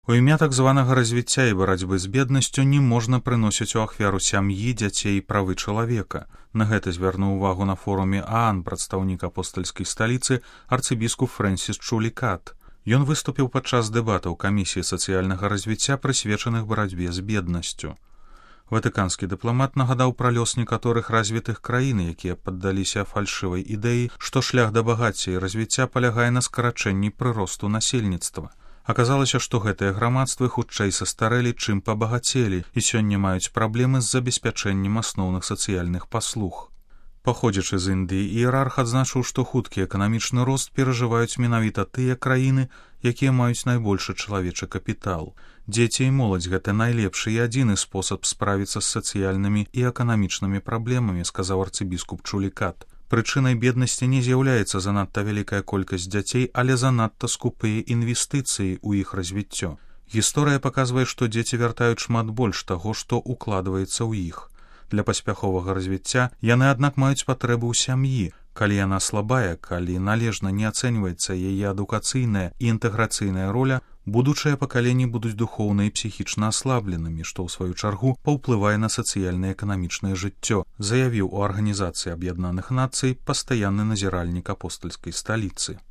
У імя так званага развіцця і барацьбы з беднасцю не можна прыносіць у ахвяру сям'і, дзяцей і правы чалавека. На гэта звярнуў увагу на форуме ААН прадстаўнік апостальскай сталіцы арцыбіскуп Фрэнсіс Чулікат. Ён выступіў падчас дэбатаў камісіі сацыяльнага развіцця, прысвечаных барацьбе з беднасцю. Ватыканскі дыпламат нагадаў пра лёс некаторых развітых краін, якія паддаліся фальшывай ідэі, што шлях да багацця і развіцця палягае на скарачэнні прыросту насельніцтва. Аказалася, што гэтыя грамадствы хутчэй састарэлі, чым пабагацелі, і сёння маюць праблемы з забеспячэннем асноўных сацыяльных паслуг. Паходзячы з Індыі, іерарх адзначыў, што хуткі эканамічны рост перажываюць менавіта тыя краіны, якія маюць найбольшы чалавечы капітал. Дзеці і моладзь — гэта найлепшы і адзіны спосаб справіцца з сацыяльнымі і эканамічнымі праблемамі, сказаў арцыбіскуп Чулікат. Прычынай беднасці не з'яўляецца занадта вялікая колькасць дзяцей, але занадта скупыя інвестыцыі ў іх развіццё. Гісторыя паказвае, што дзеці вяртаюць шмат больш таго, што укладваецца ў іх. Для паспяховага развіцця яны, аднак, маюць патрэбу ў сям'і. Калі яна слабая, калі належна не ацэньваецца яе адукацыйная і інтэграцыйная роля, будучыя пакаленні будуць духоўна і псіхічна аслабленымі, што ў сваю чаргу паўплывае на сацыяльна эканамічнае жыццё, заявіў у Арганізацыі Аб'яднаных Нацый пастаянны назіральнік апостальскай сталіцы.